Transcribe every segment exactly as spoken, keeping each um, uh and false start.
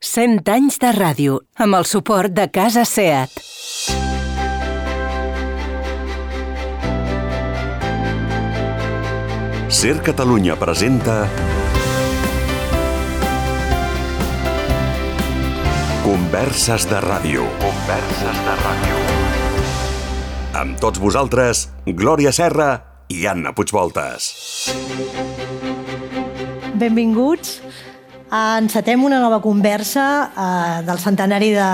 cent anys de ràdio, amb el suport de Casa SEAT. SER Catalunya presenta Converses de ràdio. Converses de ràdio. Amb tots vosaltres, Glòria Serra i Anna Puigvoltes. Benvinguts. Encetem una nova conversa eh, del centenari de,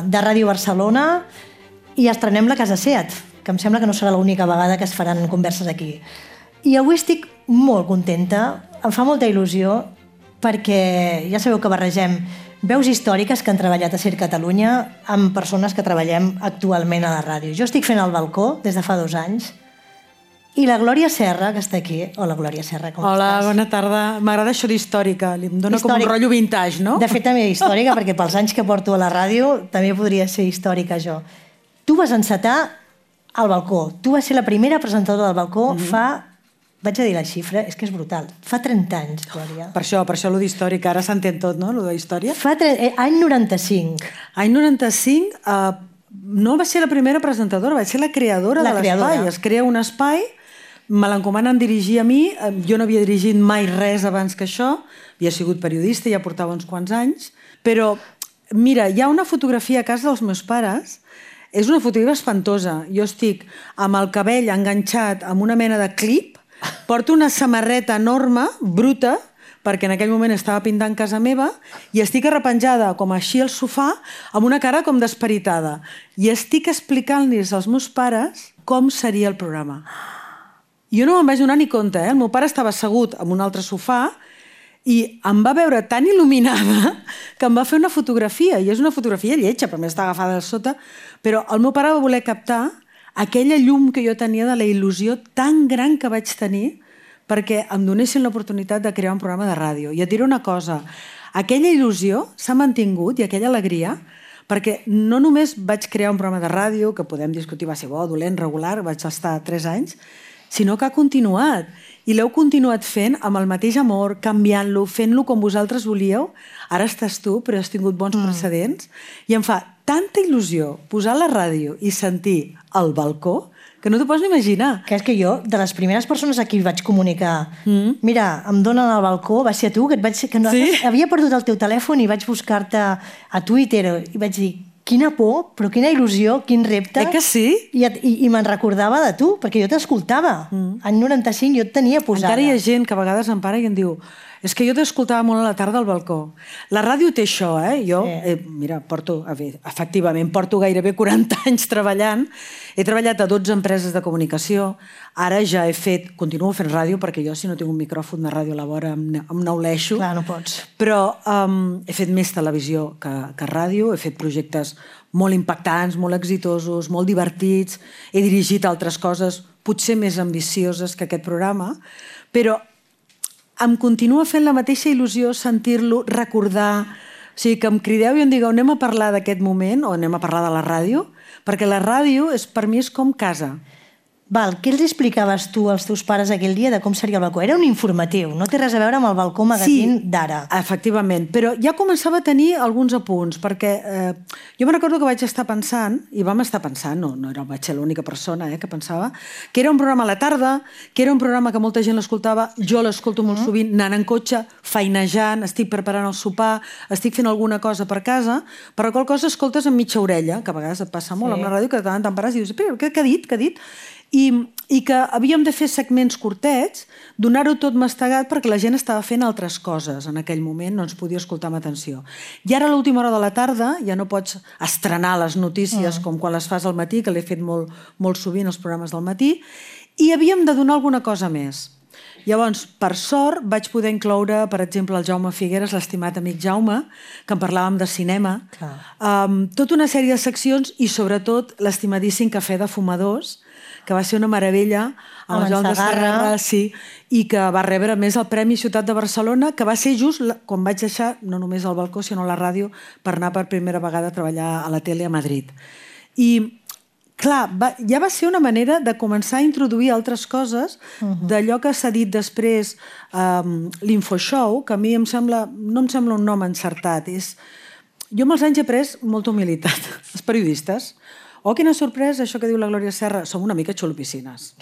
de Ràdio Barcelona i estrenem la Casa SEAT, que em sembla que no serà l'única vegada que es faran converses aquí. I avui estic molt contenta, em fa molta il·lusió, perquè ja sabeu que barregem veus històriques que han treballat a SER Catalunya amb persones que treballem actualment a la ràdio. Jo estic fent el balcó des de fa dos anys i la Glòria Serra, que està aquí. Hola, Glòria Serra, com Hola, estàs? Hola, bona tarda. M'agrada això d'històrica. Em dona com un rotllo vintage, no? De fet, també històrica, perquè pels anys que porto a la ràdio també podria ser històrica, jo. Tu vas encetar al balcó. Tu vas ser la primera presentadora del balcó mm-hmm. fa... Vaig a dir la xifra, és que és brutal. Fa trenta anys, Glòria. Per això, per això lo d'històrica. Ara s'entén tot, no?, lo de història. Fa tre... eh, any noranta-cinc. Any noranta-cinc, eh, no va ser la primera presentadora, va ser la creadora la de l'espai. Es crea un espai, me l'encomanen dirigir a mi, jo no havia dirigit mai res abans que això, havia sigut periodista, ja portava uns quants anys, però, mira, hi ha una fotografia a casa dels meus pares, és una fotografia espantosa. Jo estic amb el cabell enganxat amb una mena de clip, porto una samarreta enorme, bruta, perquè en aquell moment estava pintant casa meva, i estic arrepenjada com així al sofà, amb una cara com desperitada. I estic explicant-los als meus pares com seria el programa. Jo no me'n vaig donar ni compte, eh? El meu pare estava assegut en un altre sofà i em va veure tan il·luminada que em va fer una fotografia, i és una fotografia lletja, per mi està agafada al sota, però el meu pare va voler captar aquella llum que jo tenia de la il·lusió tan gran que vaig tenir perquè em donessin l'oportunitat de crear un programa de ràdio. I et diré una cosa, aquella il·lusió s'ha mantingut i aquella alegria, perquè no només vaig crear un programa de ràdio, que podem discutir va ser bo, dolent, regular, vaig estar tres anys, sinó que ha continuat. I l'heu continuat fent amb el mateix amor, canviant-lo, fent-lo com vosaltres volíeu. Ara estàs tu, però has tingut bons mm. precedents. I em fa tanta il·lusió posar la ràdio i sentir el balcó que no t'ho pots ni imaginar. Que és que jo, de les primeres persones a qui vaig comunicar mm. mira, em donen al balcó, va ser a tu, que, et vaig, que no, sí? havia perdut el teu telèfon i vaig buscar-te a Twitter i vaig dir, quina por, però quina il·lusió, quin repte. Eh que sí? I, i, i me'n recordava de tu, perquè jo t'escoltava. Mm. En noranta-cinc jo et tenia posada. Encara hi ha gent que a vegades em para i em diu és que jo t'escoltava molt a la tarda al balcó. La ràdio té això, eh? Jo, sí. eh, mira, porto, a veure, efectivament, porto gairebé quaranta anys treballant. He treballat a dotze empreses de comunicació. Ara ja he fet, continuo fent ràdio, perquè jo si no tinc un micròfon de ràdio a la vora em, em neuleixo. Clar, no pots. Però um, he fet més televisió que, que ràdio, he fet projectes molt impactants, molt exitosos, molt divertits, he dirigit altres coses potser més ambicioses que aquest programa, però em continua fent la mateixa il·lusió sentir-lo, recordar, o sigui, que em crideu i em digueu anem a parlar d'aquest moment o anem a parlar de la ràdio, perquè la ràdio és, per mi és com casa. Val, què els explicaves tu als teus pares aquell dia de com seria el balcó? Era un informatiu, no té res a veure amb el balcó magazín sí, d'ara. Efectivament, però ja començava a tenir alguns apunts, perquè eh, jo me recordo que vaig estar pensant, i vam estar pensant, no, no era, vaig ser l'única persona eh, que pensava, que era un programa a la tarda, que era un programa que molta gent l'escoltava, jo l'escolto molt mm. sovint, anant en cotxe, feinejant, estic preparant el sopar, estic fent alguna cosa per casa, per la qual cosa escoltes amb mitja orella, que a vegades et passa molt sí. amb la ràdio, que de tant en tant pares i dius, però què, què ha dit, què ha dit? I, i que havíem de fer segments curtets, donar-ho tot mastegat perquè la gent estava fent altres coses en aquell moment, no ens podia escoltar amb atenció. I ara a l'última hora de la tarda ja no pots estrenar les notícies mm. com quan les fas al matí, que l'he fet molt, molt sovint els programes del matí, i havíem de donar alguna cosa més. Llavors, per sort, vaig poder incloure, per exemple, el Jaume Figueres, l'estimat amic Jaume, que en parlàvem de cinema, um, tota una sèrie de seccions i, sobretot, l'estimadíssim Cafè de Fumadors, que va ser una meravella, amb el Joan de Segarra, sí, i que va rebre més el Premi Ciutat de Barcelona, que va ser just quan vaig deixar, no només al balcó, sinó a la ràdio, per anar per primera vegada a treballar a la tele a Madrid. I clar, va, ja va ser una manera de començar a introduir altres coses uh-huh. d'allò que s'ha dit després um, l'Infoshow, que a mi em sembla, no em sembla un nom encertat, és jo amb els anys he pres molta humilitat. Els periodistes, oh, quina sorpresa, això que diu la Glòria Serra, som una mica xulopiscines.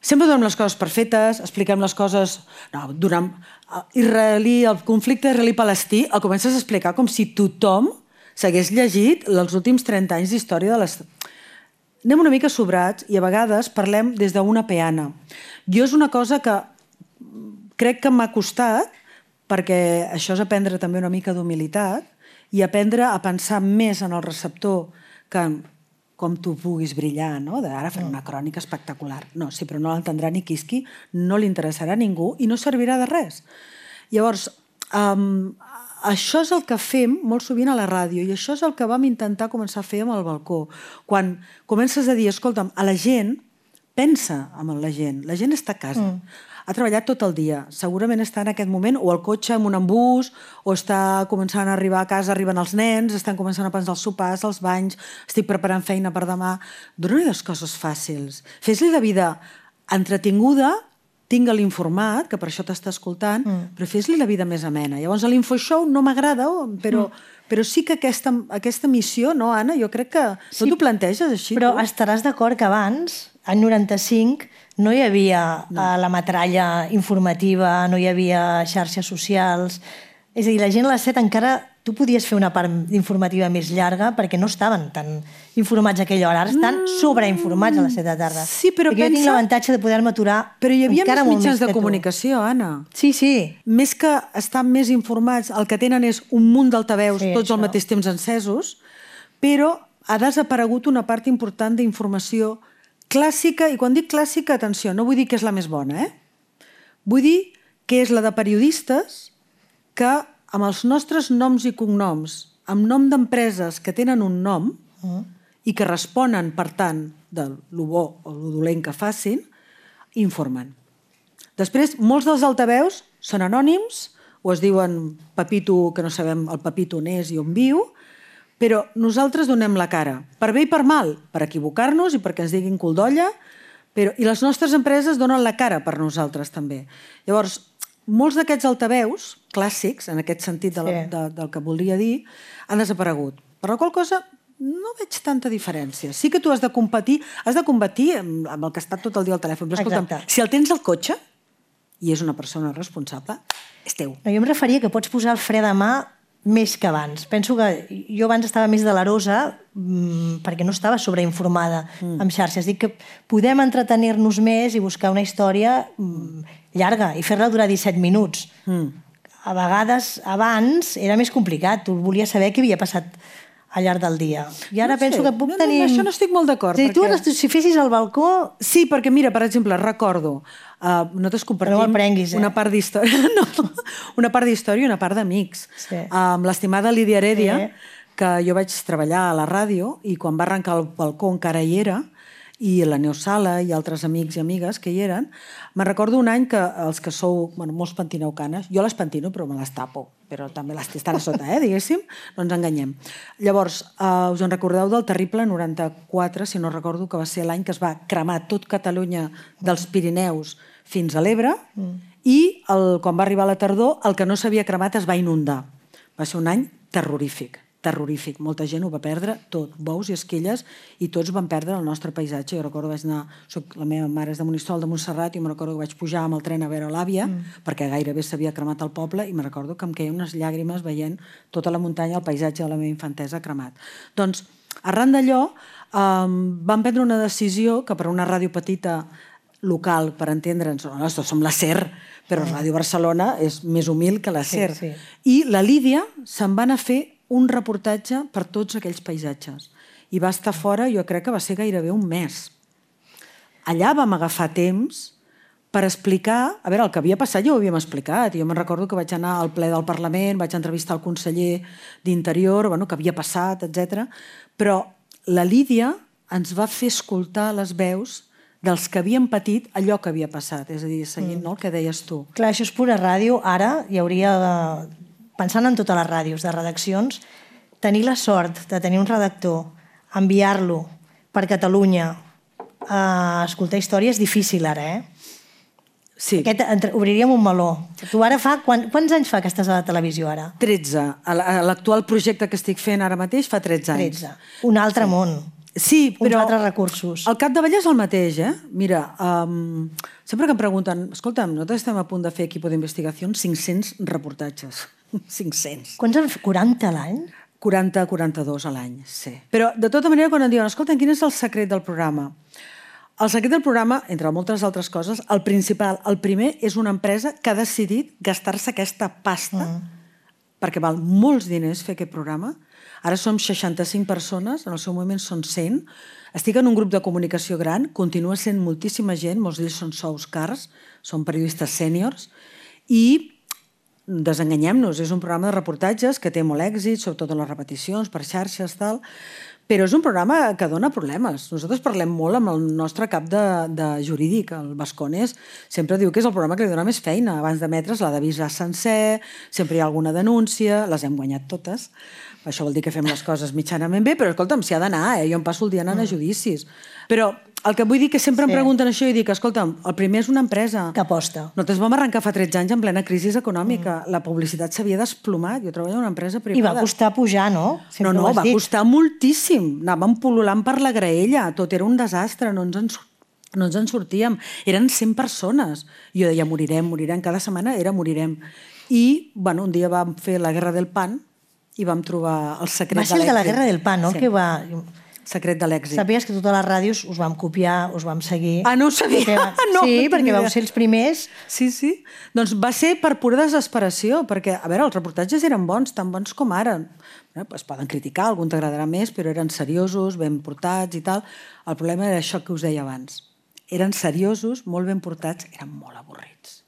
Sempre donem les coses perfetes, expliquem les coses... No, durant israelí, el conflicte israelí-palestí el comences a explicar com si tothom s'hagués llegit els últims trenta anys d'història de les... Anem una mica sobrats i a vegades parlem des d'una peana. Jo és una cosa que crec que m'ha costat, perquè això és aprendre també una mica d'humilitat i aprendre a pensar més en el receptor que en com tu puguis brillar, no? Ara faré una crònica espectacular. No, sí, però no l'entendrà ni quisqui, no li interessarà a ningú i no servirà de res. Llavors, um, això és el que fem molt sovint a la ràdio i això és el que vam intentar començar a fer amb el balcó. Quan comences a dir, escolta'm, a la gent, pensa en la gent, la gent està a casa. Mm. Ha treballat tot el dia, segurament està en aquest moment o al cotxe amb un embús o està començant a arribar a casa, arriben els nens, estan començant a pensar els sopars, els banys, estic preparant feina per demà. Dóna-li les coses fàcils. Fes-li la vida entretinguda, tinga-li informat, que per això t'està escoltant, mm. però fes-li la vida més amena. Llavors l'infoshow no m'agrada, però, mm. però sí que aquesta, aquesta missió, no, Anna? Jo crec que sí, no t'ho planteges així. Però tu? Estaràs d'acord que abans, any noranta-cinc, no hi havia no. uh, la metralla informativa, no hi havia xarxes socials. És a dir, la gent a les set encara... Tu podies fer una part informativa més llarga perquè no estaven tan informats a aquella hora. Ara estan mm. sobreinformats a les set de tarda. Sí, però perquè pensa... jo tinc l'avantatge de poder-me aturar però hi havia encara més molt mitjans més de comunicació, Anna. Sí, sí. Més que estar més informats, el que tenen és un munt d'altaveus, sí, tots això. Al mateix temps encesos, però ha desaparegut una part important d'informació clàssica, i quan dic clàssica, atenció, no vull dir que és la més bona, eh? Vull dir que és la de periodistes que amb els nostres noms i cognoms, amb nom d'empreses que tenen un nom uh-huh. i que responen, per tant, de lo bo o lo dolent que facin, informen. Després, molts dels altaveus són anònims, o es diuen Pepito, que no sabem el Pepito on és i on viu, però nosaltres donem la cara, per bé i per mal, per equivocar-nos i perquè ens diguin cul d'olla, però... i les nostres empreses donen la cara per nosaltres també. Llavors, molts d'aquests altaveus clàssics, en aquest sentit de la, sí. de, del que volia dir, han desaparegut. Per la qual cosa no veig tanta diferència. Sí que tu has de competir, has de competir amb, amb el que està tot el dia al telèfon. Però escolta'm, si el tens al cotxe i és una persona responsable, és teu. No, jo em referia que pots posar el fre de mà més que abans. Penso que jo abans estava més delerosa mmm, perquè no estava sobreinformada mm. amb xarxes. Dic que podem entretenir-nos més i buscar una història mmm, llarga i fer-la durar disset minuts. Mm. A vegades, abans, era més complicat. Tu volies saber què havia passat al llarg del dia. I ara no penso sé. que puc no, tenir... No, això no estic molt d'acord. Sí, perquè... Tu, si fessis al balcó... Sí, perquè mira, per exemple, recordo... Uh, nosaltres compartim no prenguis, eh? una part d'història no, una part d'història i una part d'amics. Sí. Uh, amb l'estimada Lídia Heredia, sí. que jo vaig treballar a la ràdio i quan va arrencar el balcó encara hi era, i la Neus Sala i altres amics i amigues que hi eren. Me'n recordo un any que els que sou, bueno, molts pentineu canes, jo les pentino però me les tapo, però també les estan a sota, eh, diguéssim, no ens enganyem. Llavors, eh, us en recordeu del terrible noranta-quatre, si no recordo, que va ser l'any que es va cremar tot Catalunya dels Pirineus fins a l'Ebre, mm. i el, quan va arribar la tardor, el que no s'havia cremat es va inundar. Va ser un any terrorífic. terrorífic. Molta gent ho va perdre tot, bous i esquelles, i tots van perdre el nostre paisatge. Jo recordo vaig anar, soc, la meva mare és de Monistrol de Montserrat, i me'n recordo que vaig pujar amb el tren a veure l'àvia, mm. perquè gairebé s'havia cremat el poble, i me'n recordo que em queien unes llàgrimes veient tota la muntanya, el paisatge de la meva infantesa cremat. Doncs, arran d'allò, um, vam prendre una decisió que per una ràdio petita local, per entendre'ns, nosaltres som la SER, però Ràdio Barcelona és més humil que la SER. Sí, sí. I la Lídia se'n va anar a fer un reportatge per tots aquells paisatges. I va estar fora, jo crec que va ser gairebé un mes. Allà vam agafar temps per explicar... A veure, el que havia passat ja ho havíem explicat. Jo me'n recordo que vaig anar al ple del Parlament, vaig entrevistar el conseller d'Interior, bueno, que havia passat, etcètera. Però la Lídia ens va fer escoltar les veus dels que havien patit allò que havia passat. És a dir, seguint mm. no, el que deies tu. Clar, això és pura ràdio. Ara hi hauria... pensant en totes les ràdios de redaccions, tenir la sort de tenir un redactor, enviar-lo per Catalunya a escoltar història és difícil ara, eh? Sí. Aquest, entre, obriríem un meló. Tu ara fa... Quan, quants anys fa que estàs a la televisió ara? tretze. L'actual projecte que estic fent ara mateix fa tretze anys. tretze. Un altre sí. món. Sí, però... Uns altres recursos. El capdavall és el mateix, eh? Mira, um, sempre que em pregunten, escolta'm, nosaltres estem a punt de fer equip d'investigació, cinc-cents reportatges. cinc-cents. Quants en fa? quaranta a l'any? quaranta a quaranta-dos a l'any, sí. Però, de tota manera, quan em diuen, escolta, quin és el secret del programa? El secret del programa, entre moltes altres coses, el principal, el primer, és una empresa que ha decidit gastar-se aquesta pasta, mm. perquè val molts diners fer aquest programa. Ara som seixanta-cinc persones, en el seu moment són cent. Estic en un grup de comunicació gran, continua sent moltíssima gent, molts d'ells són sous cars, són periodistes sèniors, i desenganyem-nos, és un programa de reportatges que té molt èxit, sobretot en les repeticions, per xarxes, tal, però és un programa que dona problemes. Nosaltres parlem molt amb el nostre cap de, de jurídic, el Bascones, sempre diu que és el programa que li dona més feina. Abans d'emetre's l'ha d'avisar sencer, sempre hi ha alguna denúncia, les hem guanyat totes. Això vol dir que fem les coses mitjanament bé, però escolta'm, s'hi ha d'anar, eh? Jo em passo el dia anant a judicis. Però el que vull dir que sempre sí. em pregunten això i dic, escolta'm, el primer és una empresa. Que aposta. Nosaltres vam arrencar fa tretze anys en plena crisi econòmica. Mm. La publicitat s'havia desplomat. Jo treballo en una empresa privada. I va costar pujar, no? Sempre no, no, va dit. Costar moltíssim. Anàvem pol·lulant per la graella. Tot era un desastre. No ens en, no ens en sortíem. Eren cent persones. Jo deia, morirem, morirem. Cada setmana era morirem. I, bueno, un dia vam fer la Guerra del Pan i vam trobar el secret de l'èxit. Va ser el de la Guerra del Pan, no? Sí. Que va... Secret de l'èxit. Sabies que totes les ràdios us vam copiar, us vam seguir... Ah, no ho sabia? Perquè... No, sí, no perquè vau ser els primers. Sí, sí. Doncs va ser per pura desesperació, perquè, a veure, els reportatges eren bons, tan bons com ara. Eh, es poden criticar, algun t'agradarà més, però eren seriosos, ben portats i tal. El problema era això que us deia abans. Eren seriosos, molt ben portats, eren molt avorrits.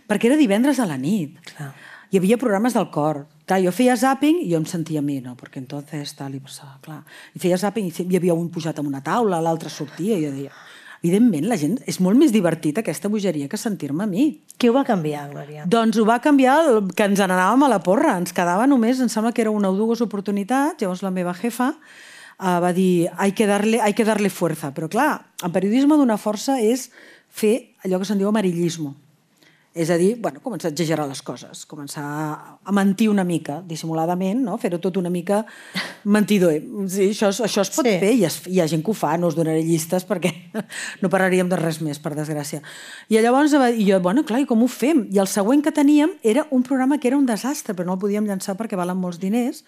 Perquè era divendres a la nit. Clar. Hi havia programes del cor. Clar, jo feia zàping i jo em sentia a mi, no? Perquè entonces tal i passava, clar. I feia zàping i hi havia un pujat en una taula, l'altre sortia i jo deia... Evidentment, la gent és molt més divertit aquesta bogeria que sentir-me a mi. Què ho va canviar, Glòria? Doncs ho va canviar el, que ens n'anàvem a la porra. Ens quedava només, em sembla que era una o dues oportunitats, llavors la meva jefa uh, va dir hay que darle, hay que darle fuerza. Però clar, en periodisme donar força és fer allò que se'n diu amarillismo. És a dir, bueno, començar a exagerar les coses, començar a mentir una mica, dissimuladament, no? Fer-ho tot una mica mentidor. Sí, això, això es pot sí. fer, i es, hi ha gent que ho fa, no us donaré llistes perquè no parlaríem de res més, per desgràcia. I llavors, i jo, bueno, clar, i com ho fem? I el següent que teníem era un programa que era un desastre, però no el podíem llançar perquè valen molts diners.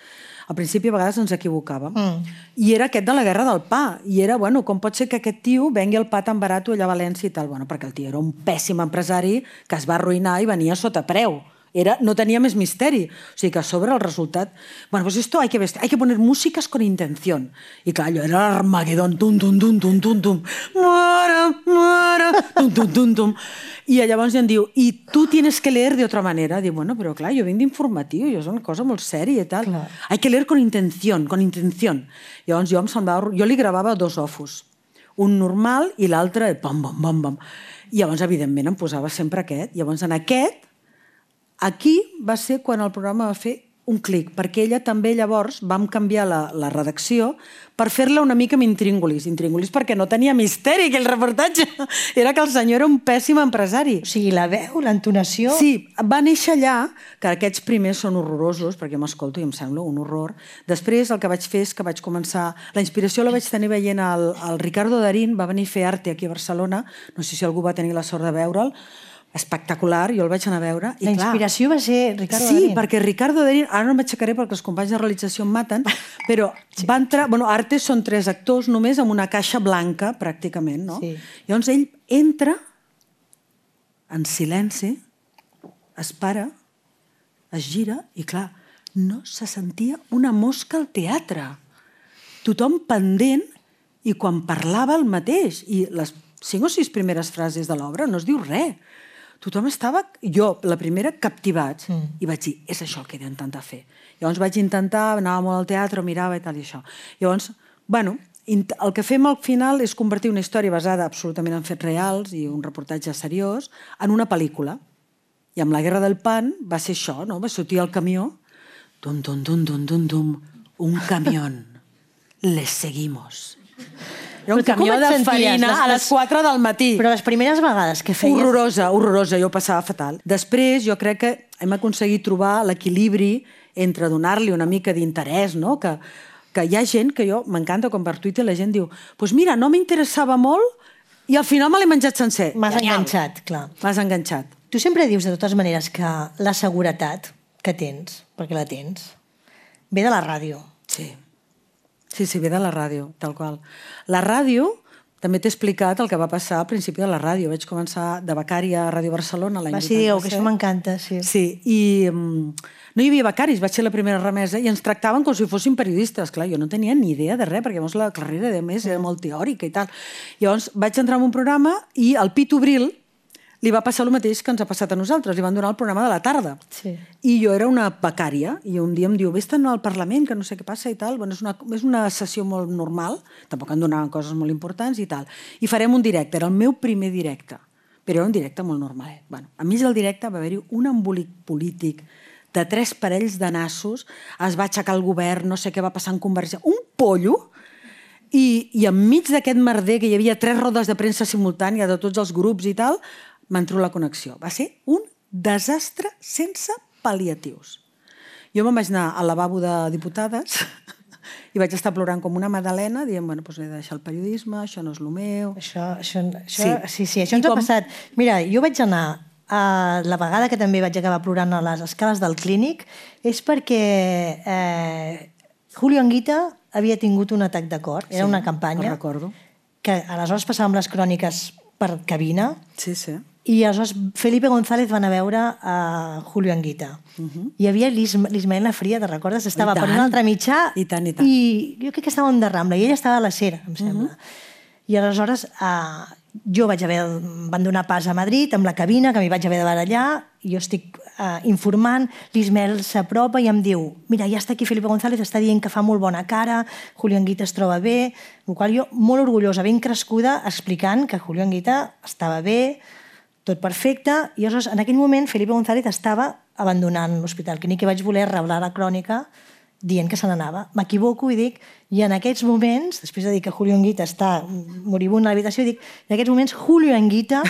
Al principi a vegades ens equivocàvem. Mm. I era aquest de la Guerra del Pa. I era, bueno, com pot ser que aquest tio vengui el pa tan barat allà a València i tal? Bueno, perquè el tio era un pèssim empresari que es va arruïnar i venia sota preu. Era, no tenia més misteri. O sigui que a sobre el resultat... Bueno, pues esto hay que, vestir, hay que poner músicas con intención. I clar, allò era l'Armagedón. Tum, tum, tum, tum, tum, tum. Muera, muera, tum, tum, tum, tum. I llavors em diu, i tu tienes que leer de otra manera. Diu, bueno, però clar, jo vinc d'informatiu, jo és una cosa molt sèria i tal. Clar. Hay que leer con intención, con intención. Llavors jo em semblava... Jo li gravava dos ofos. Un normal i l'altre, pam, pam, pam, pam. I llavors, evidentment, em posava sempre aquest. Llavors, en aquest, aquí va ser quan el programa va fer un clic, perquè ella també llavors vam canviar la, la redacció per fer-la una mica amb intríngulis. Intríngulis perquè no tenia misteri, aquell reportatge. Era que el senyor era un pèssim empresari. O sigui, la veu, l'entonació... Sí, va néixer allà, que aquests primers són horrorosos, perquè m'escolto i em sembla un horror. Després el que vaig fer és que vaig començar... La inspiració la vaig tenir veient el, el Ricardo Darín, va venir a fer arte aquí a Barcelona, no sé si algú va tenir la sort de veure'l, espectacular, jo el vaig anar a veure. I la inspiració clar, va ser Ricardo sí, Darín. Sí, perquè Ricardo Darín, ara no m'aixecaré perquè els companys de realització em maten, però sí. va entrar... Bueno, Arte són tres actors només amb una caixa blanca, pràcticament, no? Sí. Llavors ell entra en silenci, es para, es gira i, clar, no se sentia una mosca al teatre. Tothom pendent i quan parlava el mateix. I les cinc o sis primeres frases de l'obra no es diu res. Tothom estava, jo, la primera, captivats. Mm. I vaig dir, és això el que he d'intentar fer. Llavors vaig intentar, anava molt al teatre, mirava i tal i això. Llavors, bueno, el que fem al final és convertir una història basada absolutament en fets reals i un reportatge seriós en una pel·lícula. I amb la Guerra del Pan va ser això, no? Va sortir el camió, dum, dum, dum, dum, dum, dum, un camión, les seguimos. Era un Però tu com camió et de senties? farina Les- a les quatre del matí. Però les primeres vegades que feies... Horrorosa, horrorosa, jo ho passava fatal. Després jo crec que hem aconseguit trobar l'equilibri entre donar-li una mica d'interès, no? Que, que hi ha gent que jo, m'encanta quan per Twitter la gent diu pues mira, no m'interessava molt i al final me l'he menjat sencer. M'has Genial. enganxat, clar. M'has enganxat. Tu sempre dius, de totes maneres, que la seguretat que tens, perquè la tens, ve de la ràdio. Sí. Sí, sí, ve de la ràdio, tal qual. La ràdio, també t'he explicat el que va passar al principi de la ràdio. Vaig començar de becària a Ràdio Barcelona l'any Va, sí, digueu, que vuitanta-set. això m'encanta, sí. Sí, i um, no hi havia becaris, vaig ser la primera remesa i ens tractaven com si fossin periodistes. Clar, jo no tenia ni idea de res, perquè llavors la carrera, de més, era molt teòrica i tal. Llavors vaig entrar en un programa i al Pitu Bril li va passar el mateix que ens ha passat a nosaltres. Li van donar el programa de la tarda. Sí. I jo era una becària i un dia em diu, vés-te'n al Parlament, que no sé què passa i tal. Bueno, és una, és una sessió molt normal, tampoc em donaven coses molt importants i tal. I farem un directe, era el meu primer directe, però era un directe molt normal. Bueno, enmig del directe va haver-hi un embolic polític de tres parells de nassos, es va aixecar el govern, no sé què va passar en Convergència, un pollo, i, i enmig d'aquest merder, que hi havia tres rodes de premsa simultània de tots els grups i tal, m'entró la connexió. Va ser un desastre sense pal·liatius. Jo me'n vaig anar al lavabo de diputades i vaig estar plorant com una madalena, dient, bueno, doncs he de deixar el periodisme, això no és el meu... Això, això, això, Sí. sí. sí, sí, això I ens com- ha passat. Mira, jo vaig anar a la vegada que també vaig acabar plorant a les escales del clínic és perquè eh, Julio Anguita havia tingut un atac de cor. Era Sí, una campanya ho recordo. que aleshores passàvem les cròniques per cabina Sí, sí. i aleshores Felipe González van a veure a Julio Anguita. Uh-huh. Hi havia l'Ismael Lafria, te'n recordes? Estava I per tant. un altre mitjà I tant, i tant. i jo crec que estàvem de Rambla i ell estava a la Cera, em sembla. Uh-huh. I aleshores eh, jo vaig haver, em van donar pas a Madrid amb la cabina, que m'hi vaig haver de barallar, i jo estic eh, informant, l'Ismael s'apropa i em diu, mira, ja està aquí Felipe González, està dient que fa molt bona cara, Julio Anguita es troba bé, el qual jo, molt orgullosa, ben crescuda, explicant que Julio Anguita estava bé, tot perfecte, i aleshores en aquell moment Felipe González estava abandonant l'Hospital Clínic i vaig voler revelar la crònica dient que se n'anava. M'equivoco i dic, i en aquests moments, després de dir que Julio Anguita està moribund a l'habitació, dic, en aquests moments Julio Anguita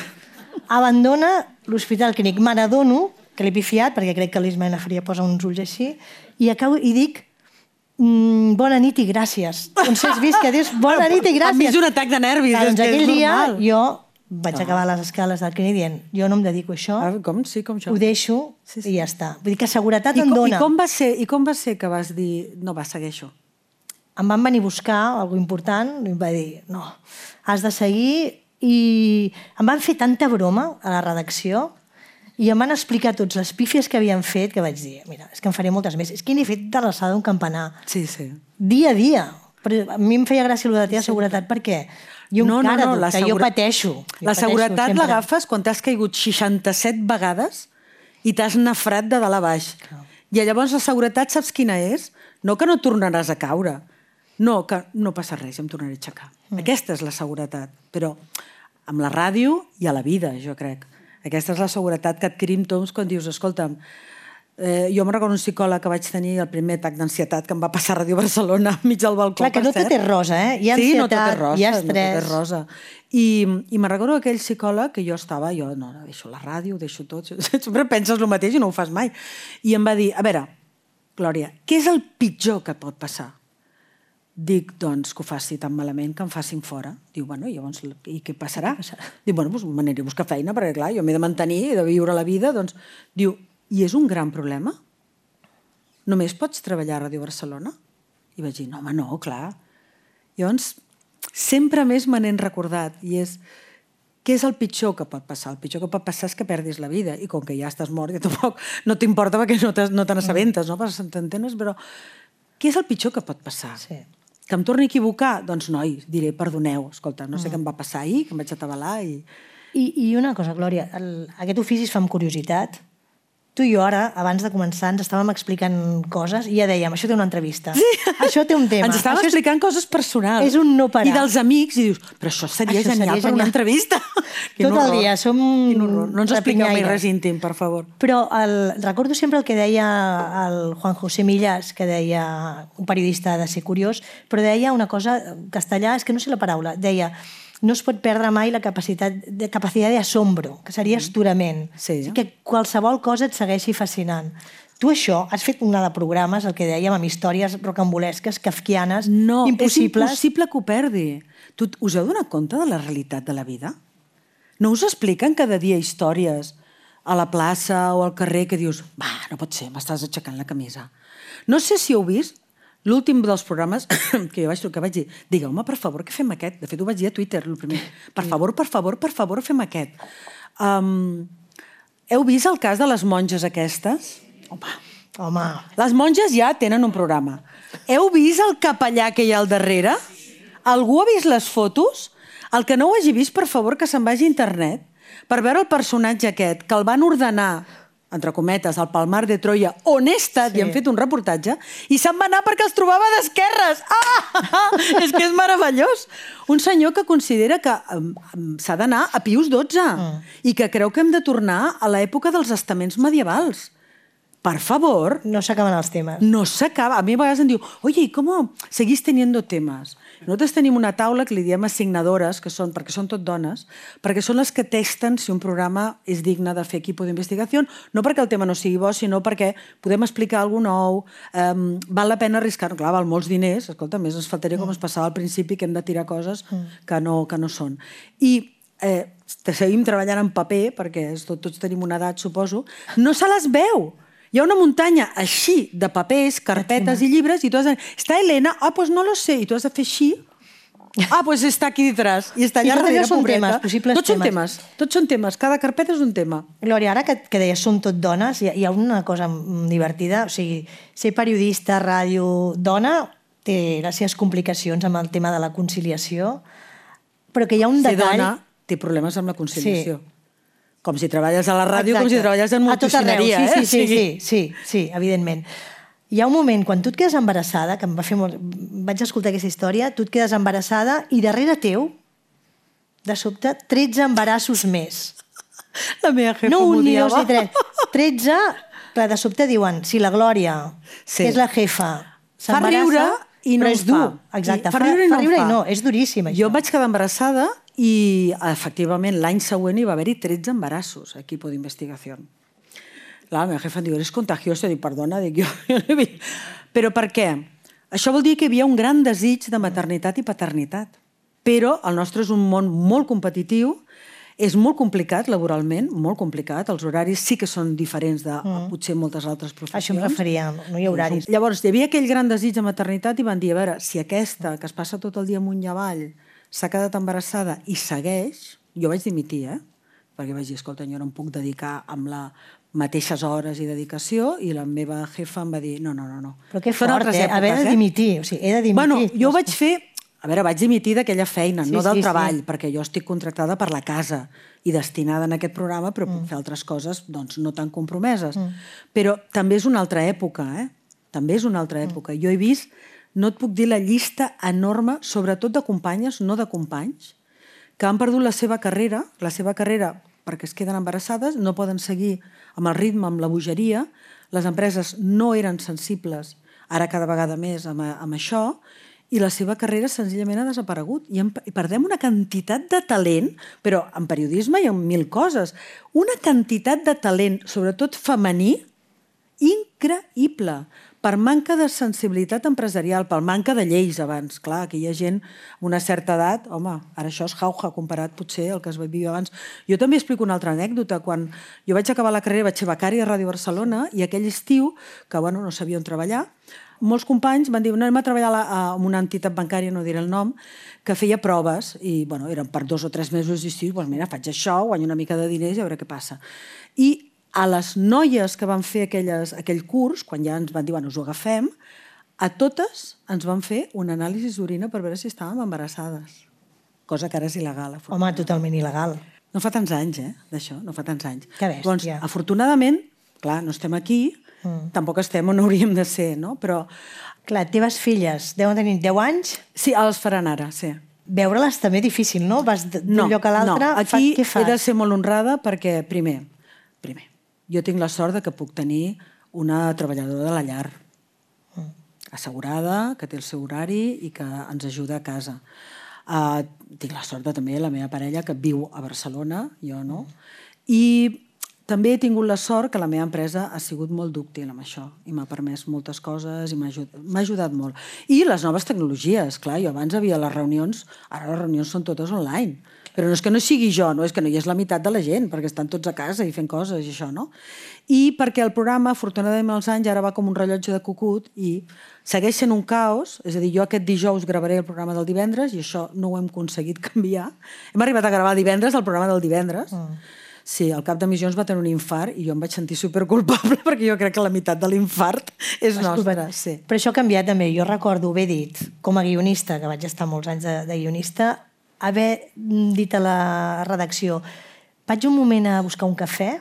abandona l'Hospital Clínic. Me n'adono que l'he pifiat, perquè crec que l'Ismael Lafria posa uns ulls així, i acabo i dic, mm, bona nit i gràcies. Doncs has vist que dius bona nit i gràcies. Enmig d'un atac de nervis, Clar, és doncs que és aquell dia normal. jo vaig acabar les escales del clínic dient, jo no em dedico a això, Ah, com? Sí, com això. ho deixo Sí, sí. i ja està. Vull dir que seguretat I em com, dona. i, com va ser, I com va ser que vas dir, no, va, segueixo? Em van venir a buscar alguna important i em va dir, no, has de seguir, i em van fer tanta broma a la redacció i em van explicar tots les pífies que havien fet que vaig dir, mira, és que en faré moltes més. És que n'he fet de l'alçada d'un campanar. Sí, sí. Dia a dia. Però a mi em feia gràcia el de la teva seguretat perquè jo No, no, encara, no, la que jo segura- pateixo. Jo La pateixo seguretat sempre. l'agafes quan t'has caigut seixanta-set vegades i t'has nafrat de dalt a baix. I llavors la seguretat saps quina és? No que no tornaràs a caure, no, que no passa res, em tornaré a aixecar. Mm. Aquesta és la seguretat, però amb la ràdio i a la vida, jo crec. Aquesta és la seguretat que adquirim tots quan dius, escolta'm, eh, jo me'n recordo un psicòleg que vaig tenir el primer atac d'ansietat que em va passar a Ràdio Barcelona enmig del balcó. Clar, que per no tot cert. és rosa, eh? Hi ha Sí, no ansietat, tot és rosa, hi ha no tot estrès. és rosa. I, i me'n recordo aquell psicòleg que jo estava, jo no, no, deixo la ràdio, ho deixo tot, sempre penses el mateix i no ho fas mai. I em va dir, a veure, Glòria, què és el pitjor que pot passar? Dic, doncs, que ho faci tan malament que em facin fora. Diu, bueno, i llavors, i què passarà? Diu, bueno, doncs m'aniré a buscar feina, perquè clar, jo m'he de mantenir, he de viure la vida, doncs... Diu, i és un gran problema? Només pots treballar a Ràdio Barcelona? I vaig dir, no, home, no, clar. Llavors, sempre més me n'he recordat, i és, què és el pitjor que pot passar? El pitjor que pot passar és que perdis la vida, i com que ja estàs mort, ja tampoc no t'importa perquè no te, no te n'assabentes, no? Perquè t'entenes, però què és el pitjor que pot passar? Sí. Que em torni a equivocar? Doncs, noi, diré, perdoneu, escolta, no sé mm. què em va passar ahir, que em vaig atabalar i... I, i una cosa, Glòria, el, aquest ofici es fa amb curiositat. Tu i jo ara, abans de començar, ens estàvem explicant coses i ja dèiem, això té una entrevista, sí. Això té un tema. Ens estàvem això explicant és... coses personals. És un no parar. I dels amics, i dius, però això seria Això genial seria per una genial. entrevista. Tot el dia, som No ens expliqueu mai rapinyaires. res íntim, per favor. Però el, recordo sempre el que deia el Juan José Millás, que deia, un periodista de ser curiós, però deia una cosa en castellà, és que no sé la paraula, deia no es pot perdre mai la capacitat de, capacitat d'asombro, que seria astorament. Sí. O sigui, que qualsevol cosa et segueixi fascinant. Tu això, has fet una de programes, el que dèiem, amb històries rocambolesques, kafkianes, No, impossibles. és impossible que ho perdi. Tu, us heu donat compte de la realitat de la vida? No us expliquen cada dia històries a la plaça o al carrer que dius, va, no pot ser, m'estàs aixecant la camisa. No sé si heu vist l'últim dels programes que jo vaig trucar, vaig dir, digueu-me, per favor, que fem aquest. De fet, ho vaig dir a Twitter, el primer. Per favor, per favor, per favor, fem aquest. Um, heu vist el cas de les monges aquestes? Home, Home, les monges ja tenen un programa. Heu vist el capellà que hi ha al darrere? Algú ha vist les fotos? El que no ho hagi vist, per favor, que se'n vagi a internet per veure el personatge aquest, que el van ordenar, entre cometes, al Palmar de Troia, on he estat Sí. i han fet un reportatge, i se'n va anar perquè els trobava d'esquerres. Ah! És que és meravellós. Un senyor que considera que um, um, s'ha d'anar a Pius dotze mm. i que creu que hem de tornar a l'època dels estaments medievals. Per favor, no s'acaben els temes. no s'acaba. A mi a vegades em diu, oye, ¿y cómo seguís teniendo temas? Nosaltres tenim una taula que li diem assignadores, que són, perquè són tot dones, perquè són les que testen si un programa és digne de fer equip d'investigació, no perquè el tema no sigui bo, sinó perquè podem explicar alguna cosa nou, um, val la pena arriscar, clar, val molts diners, escolta, més ens faltaria com es passava al principi, que hem de tirar coses que no, que no són. I eh, seguim treballant en paper, perquè tot, tots tenim una edat, suposo, no se les veu. Hi ha una muntanya així de papers, carpetes i llibres, i tu has de dir, està Elena? Ah, pues no lo sé. I tu has de fer així. Ah, pues està aquí detrás. I està allà I tot darrere, allò són pobreta. temes, possibles Tots són temes. temes. Tots són temes. Cada carpeta és un tema. Glòria, ara que, que deies són tot dones, hi ha, hi ha una cosa divertida, o sigui, ser periodista, ràdio, dona, té les seves complicacions amb el tema de la conciliació, però que hi ha un Ser detall... dona té problemes amb la conciliació. Sí. Com si treballes a la ràdio, Exacte. com si treballes en A tot arreu, multicineria. sí, eh? sí, sí, sí, sí, sí, evidentment. Hi ha un moment, quan tu et quedes embarassada, que em va fer molt... vaig escoltar aquesta història, tu et quedes embarassada i darrere teu, de sobte, tretze embarassos més. La meva jefa No un ni dos m'odiava. ni tres. tretze, clar, de sobte diuen, si la Glòria, Sí. que és la jefa, Fa s'embarassa, riure i no però en és dur. fa. Exacte, I fa, fa riure i fa no en riure fa. i no, és duríssim, això. Jo em vaig quedar embarassada i, efectivament, l'any següent hi va haver-hi tretze embarassos a equipo d'investigació. La meva jefa em diu, eres contagiosa? Dic, perdona, dic, jo, jo no he vist. Però per què? Això vol dir que hi havia un gran desig de maternitat i paternitat. Però el nostre és un món molt competitiu, és molt complicat laboralment, molt complicat. Els horaris sí que són diferents de mm. potser moltes altres professions. Això em referia, no hi ha horaris. Llavors, hi havia aquell gran desig de maternitat i van dir, a veure, si aquesta, que es passa tot el dia amunt i avall, s'ha quedat embarassada i segueix, jo vaig dimitir, eh? Perquè vaig dir, escolta, jo no em puc dedicar amb les mateixes hores i dedicació, i la meva jefa em va dir, no, no, no. no. Però que Són fort, altres eh? èpoques, Haver de dimitir, o sigui, he de dimitir. Bueno, jo vaig fer... A veure, vaig dimitir d'aquella feina, Sí, no del sí, treball, sí. perquè jo estic contractada per la casa i destinada en aquest programa, però puc fer altres coses doncs, no tan compromeses. Mm. Però també és una altra època, eh? També és una altra època. Mm. Jo he vist, no et puc dir la llista enorme, sobretot de companyes, no de companys, que han perdut la seva carrera, la seva carrera perquè es queden embarassades, no poden seguir amb el ritme, amb la bogeria, les empreses no eren sensibles, ara cada vegada més amb, amb això, i la seva carrera senzillament ha desaparegut. I, en, I perdem una quantitat de talent, però en periodisme i en mil coses, una quantitat de talent, sobretot femení, increïble, per manca de sensibilitat empresarial, per manca de lleis abans. Clar, que hi ha gent amb una certa edat, home, ara això és jauja comparat potser al que es vivia abans. Jo també explico una altra anècdota. Quan jo vaig acabar la carrera, vaig ser becària a Ràdio Barcelona, i aquell estiu, que bueno, no sabia on treballar, molts companys van dir, no, anem a treballar a una entitat bancària, no diré el nom, que feia proves, i bueno, eren per dos o tres mesos, i sí, doncs mira, faig això, guanyo una mica de diners i a veure què passa. I a les noies que van fer aquelles, aquell curs, quan ja ens van dir, bueno, us ho agafem, a totes ens van fer un anàlisi d'orina per veure si estàvem embarassades. Cosa que ara és il·legal. Home, totalment il·legal. No fa tants anys, eh, d'això, no fa tants anys. Que bèstia. Doncs, afortunadament, clar, no estem aquí, mm. tampoc estem on hauríem de ser, no? Però... Clar, teves filles deuen tenir deu anys? Sí, els faran ara, sí. veure-les també difícil, no? Vas d'un no, lloc a l'altre, no. Aquí què fas? he de ser molt honrada perquè, primer, primer, jo tinc la sort de que puc tenir una treballadora de la llar mm. assegurada, que té el seu horari i que ens ajuda a casa. Uh, tinc la sort de també la meva parella que viu a Barcelona, jo no, i també he tingut la sort que la meva empresa ha sigut molt dúctil amb això i m'ha permès moltes coses i m'ha ajudat, m'ha ajudat molt. I les noves tecnologies, clar, jo abans havia les reunions, ara les reunions són totes online, però no és que no sigui jo, no és que no hi és la meitat de la gent, perquè estan tots a casa i fent coses i això, no? I perquè el programa, afortunadament els anys, ara va com un rellotge de cucut i segueix sent un caos, és a dir, jo aquest dijous gravaré el programa del divendres i això no ho hem aconseguit canviar. Hem arribat a gravar divendres el programa del divendres. Mm. Sí, el cap d'emissions va tenir un infart i jo em vaig sentir superculpable perquè jo crec que la meitat de l'infart és nostra. Sí. Però això ha canviat també. Jo recordo haver dit, com a guionista, que vaig estar molts anys de, de guionista, haver dit a la redacció vaig un moment a buscar un cafè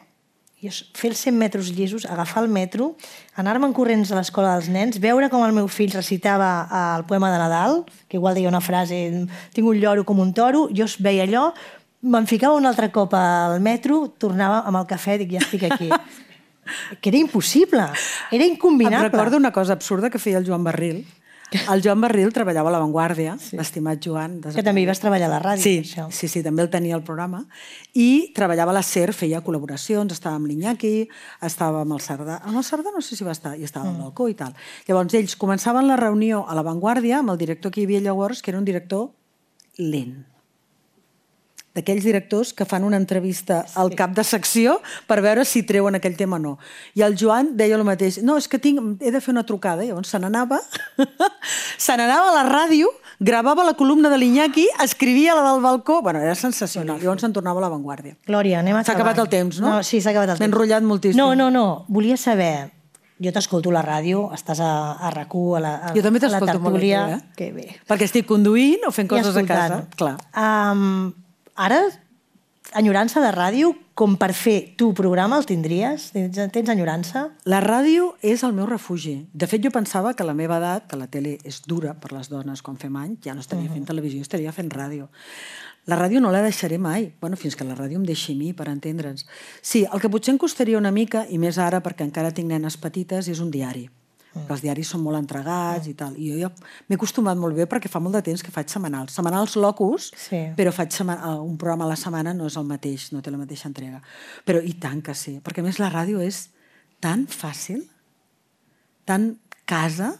i fer els cent metres llisos, agafar el metro, anar-me'n corrents a l'escola dels nens, veure com el meu fill recitava el poema de Nadal, que igual deia una frase, tinc un lloro com un toro, jo veia allò, me'n ficava un altre cop al metro, tornava amb el cafè, dic, ja estic aquí. Que era impossible, era incombinable. Em recordo una cosa absurda que feia el Joan Barril. El Joan Barril treballava a La Vanguardia, sí. L'estimat Joan. Que també hi vas treballar a la ràdio. Sí, això. sí, sí, també el tenia el programa. I treballava a la SER, feia col·laboracions, estava amb l'Iñaki, estava amb el Cerdà. Amb el Cerdà no sé si va estar, i estava al mm. balcó i tal. Llavors ells començaven la reunió a La Vanguardia amb el director que hi havia llavors, que era un director lent. D'aquells directors que fan una entrevista al cap de secció per veure si treuen aquell tema o no. I el Joan deia el mateix. No, és que tinc, he de fer una trucada. I llavors se n'anava, se n'anava a la ràdio, gravava la columna de l'Iñaki, escrivia la del balcó. Bueno, era sensacional. Llavors se'n tornava a La Vanguardia. Glòria, anem acabant. S'ha acabat el temps, no? No, sí, s'ha acabat el temps. M'he enrotllat moltíssim. No, no, no. Volia saber... Jo t'escolto a la ràdio, estàs a, a RAC u, a la, a, jo també a la t'escolto molt, tertúlia... eh? Que bé. Perquè estic conduint o fent coses a casa. Clar. Um, ara... Enyorança de ràdio, com per fer tu programa, el tindries? Tens, tens enyorança? La ràdio és el meu refugi. De fet, jo pensava que a la meva edat, que la tele és dura per les dones quan fem anys, ja no estaria uh-huh. fent televisió, estaria fent ràdio. La ràdio no la deixaré mai, bueno, fins que la ràdio em deixi a mi, per entendre'ns. Sí, el que potser em costaria una mica, i més ara perquè encara tinc nenes petites, és un diari. Mm. Els diaris són molt entregats mm. i tal. I jo ja m'he acostumat molt bé perquè fa molt de temps que faig setmanals. Setmanals locus, sí. Però faig un programa a la setmana, no és el mateix, no té la mateixa entrega. Però i tant que sí, perquè a més la ràdio és tan fàcil, tan casa,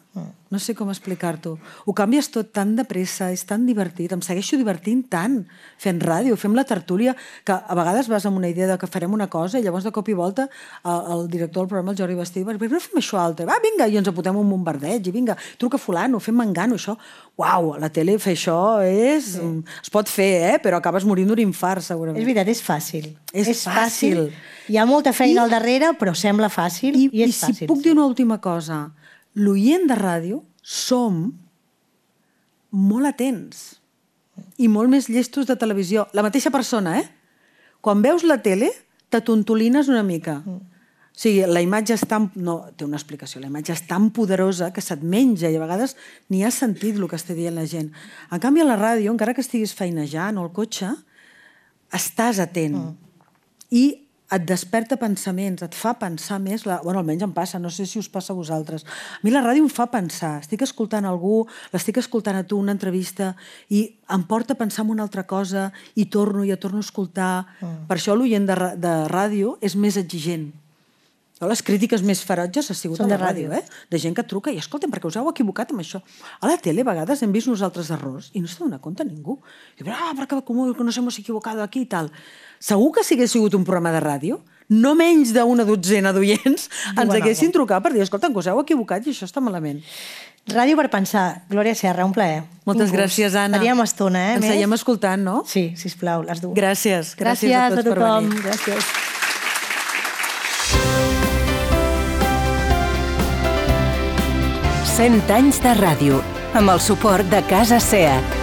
no sé com explicar-t'ho. Ho canvies tot tan de pressa, és tan divertit, em segueixo divertint tant fent ràdio, fem la tertúlia, que a vegades vas amb una idea de que farem una cosa i llavors de cop i volta el director del programa, el Jordi Bastí, va, per què no fem això altre? Va, vinga, i ens apuntem un bombardeig, i vinga, truca fulano, fem mangano, això. Uau, a la tele fer això és... Sí. Es pot fer, eh? Però acabes morint d'un infart, segurament. És veritat, és fàcil. És, és fàcil. fàcil. Hi ha molta feina I, al darrere, però sembla fàcil i, i és i fàcil. I si puc dir una última cosa, l'oient de ràdio som molt atents i molt més llestos de televisió. La mateixa persona, eh? Quan veus la tele, t'atontolines una mica. Mm. O sigui, la imatge és tan... No, té una explicació. La imatge és tan poderosa que se't menja i a vegades ni has sentit el que està dient la gent. En canvi, a la ràdio, encara que estiguis feinejant o al cotxe, estàs atent. Mm. I et desperta pensaments, et fa pensar més... La... Bueno, almenys em passa, no sé si us passa a vosaltres. A mi la ràdio em fa pensar. Estic escoltant algú, l'estic escoltant a tu, una entrevista, i em porta a pensar en una altra cosa, i torno, i ja torno a escoltar. Mm. Per això l'oient de, de ràdio és més exigent. Les crítiques més ferotges ha sigut a la ràdio, eh? De gent que truca i, escolta'm, perquè us heu equivocat amb això. A la tele, a vegades, hem vist nosaltres errors i no s'ha donat compte ningú. I diu, ah, perquè nos hemos equivocado aquí i tal. Segur que si hagués sigut un programa de ràdio, no menys d'una dotzena d'oients ens haguessin trucat per dir, escolta'm, que us heu equivocat i això està malament. Ràdio per pensar. Glòria Serra, un plaer. Moltes gràcies, Anna. Faríem estona, eh? Ens seguim escoltant, no? Sí, sisplau, les dues. Gràcies. Gràcies a tots per venir. Gràcies. cent anys de ràdio, amb el suport de Casa SEAT.